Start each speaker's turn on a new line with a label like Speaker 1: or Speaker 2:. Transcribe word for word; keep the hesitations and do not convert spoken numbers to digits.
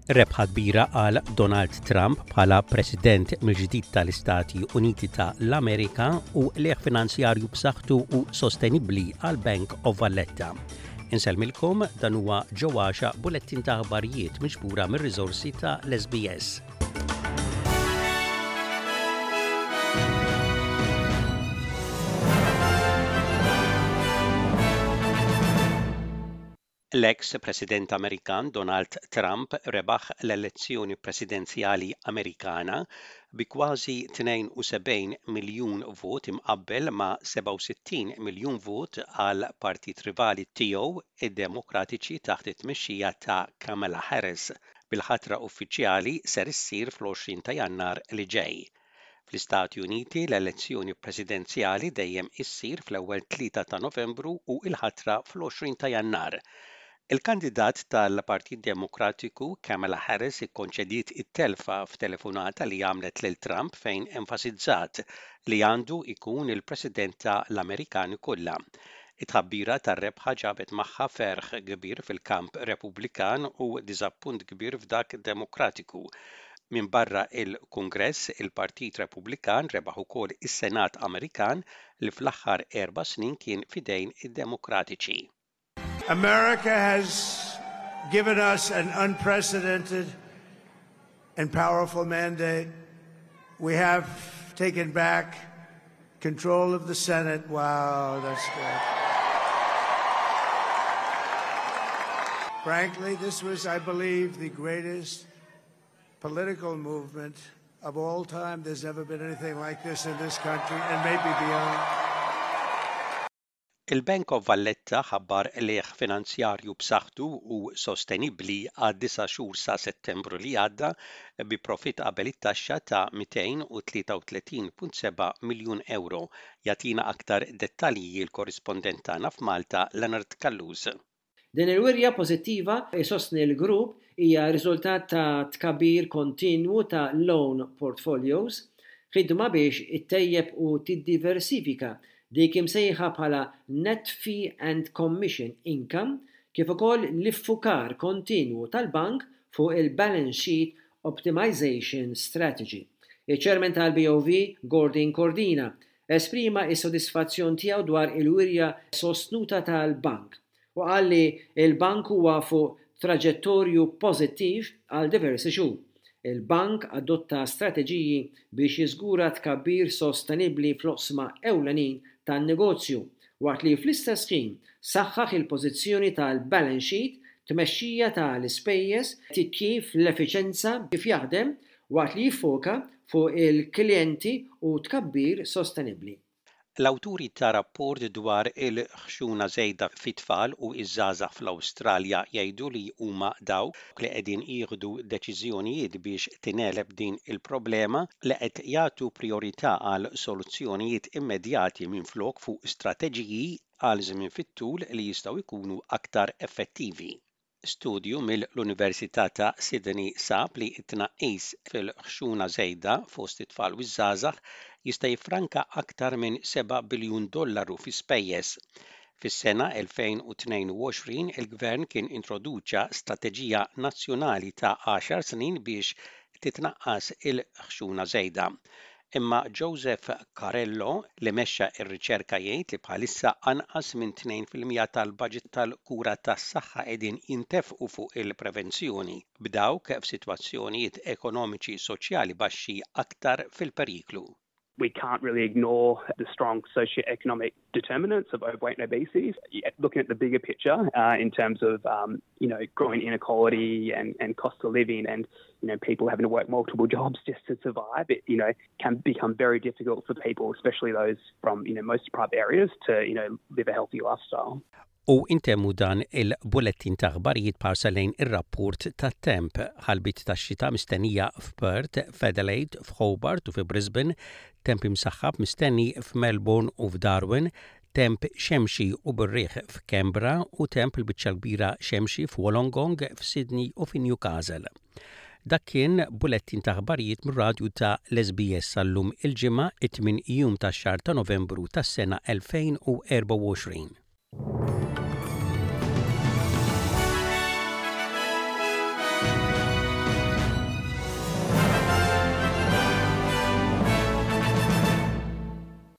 Speaker 1: Rebħa kbira għal Donald Trump bħala President mill-ġdid tal-Istati Uniti ta' l-Amerika u qligħ finanzjarju b'saħħtu u sostenibbli għal Bank of Valletta. Insellmilkom, dan huwa ġewwaxa bulettin ta' aħbarijiet miġbura mir-riżorsi ta' l-S B S. L-ex President Amerikan Donald Trump rebaħ l-elezzjoni presidenzjali Amerikana bi kważi tnejn u sebgħin miljun vot, imqabbel ma' sebgħa u sittin miljun vot għal partit rivali tiegħu, id-Demokratiċi taħt it-tmexxija ta' Kamala Harris, bil-ħatra uffiċjali ser issir fl-għoxrin ta' Jannar li ġej. Fl-Istati Uniti, l-elezzjoni presidenzjali dejjem issir fl-ewwel tlieta ta' Novembru u l-ħatra fl-għoxrin ta' Jannar. Il-kandidat tal-Partit Demokratiku Kamala Harris ikkonċediet it-telfa f'telefonata li għamlet lil Trump, fejn enfasizzat li għandu jkun il-President tal-Amerikani kollha. It-tħabbira tar-rebħa ġabet magħha ferħ kbir fil-kamp Repubblikan u diżappunt kbir f'dak Demokratiku. Min barra il-Kungress, il-Partit Repubblikan rebaħ ukoll is-Senat Amerikan li fl-aħħar erba' snin kien fidejn id-Demokratiċi.
Speaker 2: America has given us an unprecedented and powerful mandate. We have taken back control of the Senate. Wow, that's good. Frankly, this was, I believe, the greatest political movement of all time. There's never been anything like this in this country and maybe beyond.
Speaker 1: Il-Bank of Valletta ħabbar qligħ finanzjarju b'saħħtu u sostenibbli għad disa' xhur sa Settembru li għadda, bi profit qabel it-taxxa ta' mitejn u tlieta u tletin punt seba' miljun euro. Jagħtina aktar dettalji l-korrispondent tagħna f'Malta, Leonard Callus.
Speaker 3: Din il-wirja pożittiva, isostni l-grupp, hija riżultat ta' tkabbir kontinwu ta' loan portfolios, ħidma biex ittejjeb u tiddiversifika dik imsejħa bħala net fee and commission income, kif ukoll l-iffukar kontinwu tal-bank fuq il-balance sheet optimization strategy. Il-ċermen tal-B O V, Gordon Cordina, esprima is-sodisfazzjon tiegħu dwar il-wirja sostnuta tal-bank u qal li il-bank huwa fuq traġettorju pożittiv għal diversi xhur. Il-bank adotta strateġiji biex jiżgura tkabbir sostenibbli fl-oqsma ewlenin tan-negozju, waqt li fl-istess ħin saħħaħ il-pożizzjoni tal-balance sheet, tmexxija tal-ispejjeż, titjib l-effiċenza kif jaħdem, waqt li jiffoka fuq il-klijenti u tkabbir sostenibbli.
Speaker 1: L-awturi ta' rapport dwar il-ħxuna żejda fit-tfal u iż-żgħażagħ fl-Awstralja jgħidu li huma dawk li qegħdin jieħdu deċiżjonijiet biex tingħeleb din il-problema li qed jagħtu priorità għal soluzzjonijiet immedjati minflok fuq strateġiji għal żmien fit-tul li jistgħu jkunu aktar effettivi. Studju mill-Università ta' Sydney sab li t-tnaqqis fil-ħxuna żejda fost it-tfal u ż-żgħażagħ jista' jiffranka aktar minn seba' biljun dollaru fi spejjeż. Fis-sena elfejn u tnejn u għoxrin il-gvern kien introduċa strateġija nazzjonali ta' għaxar snin biex titnaqqas il-ħxuna żejda. Imma Joseph Carello, li mexxa r-riċerka, jgħid li bħalissa anqas minn tnejn fil-mija tal-budget tal-kura tas-saħħa qegħdin jintefqu fuq il-prevenzjoni, b'dawk f'sitwazzjonijiet ekonomiċi soċjali baxxi aktar fil-periklu.
Speaker 4: We can't really ignore the strong socioeconomic determinants of overweight and obesity. Looking at the bigger picture uh, in terms of um, you know growing inequality and, and cost of living and you know people having to work multiple jobs just to survive, it you know can become very difficult for people, especially those from you know most deprived areas, to you know live a healthy lifestyle.
Speaker 1: U intemmu dan il-bulettin ta' aħbarijiet b'ħarsa lejn ir-rapport tat-temp. Ħalbiet ta' xita mistennija f'Perth, f'Adelaide, f'Hobart u fi Brisbane, temp imsaħħab mistenni f'Melbourne u f'Darwin, temp xemxi u bir-riħ f'Canberra u temp il-biċċa kbira xemxi f'Wollongong, f'Sydney u fi Newcastle. Dak kien bulettin ta' aħbarijiet mir-radju ta' l-S B S għal-lum, il-Ġimgħa, it-tmien jum tax-xahar ta' Novembru tas-sena elfejn u erbgħa u għoxrin.